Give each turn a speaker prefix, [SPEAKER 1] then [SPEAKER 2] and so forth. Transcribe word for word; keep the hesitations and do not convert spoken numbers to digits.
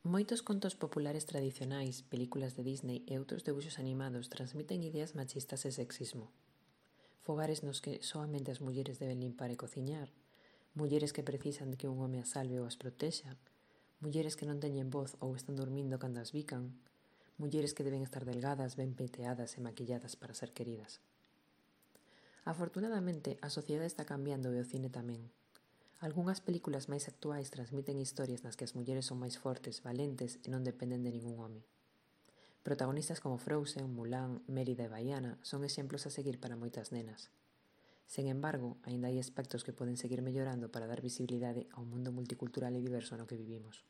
[SPEAKER 1] Moitos contos populares tradicionais, películas de Disney e outros debuxos animados transmiten ideas machistas e sexismo. Fogares nos que soamente as mulleres deben limpar e cociñar, mulleres que precisan de que un home as salve ou as protexa, mulleres que non teñen voz ou están dormindo cando as bican, mulleres que deben estar delgadas, ben peiteadas e maquilladas para ser queridas. Afortunadamente, a sociedade está cambiando e o cine tamén. Algunhas películas máis actuais transmiten historias nas que as mulleres son máis fortes, valentes e non dependen de ningún home. Protagonistas como Frozen, Mulan, Mérida e Baiana son exemplos a seguir para moitas nenas. Sen embargo, aínda hai aspectos que poden seguir mellorando para dar visibilidade ao mundo multicultural e diverso no que vivimos.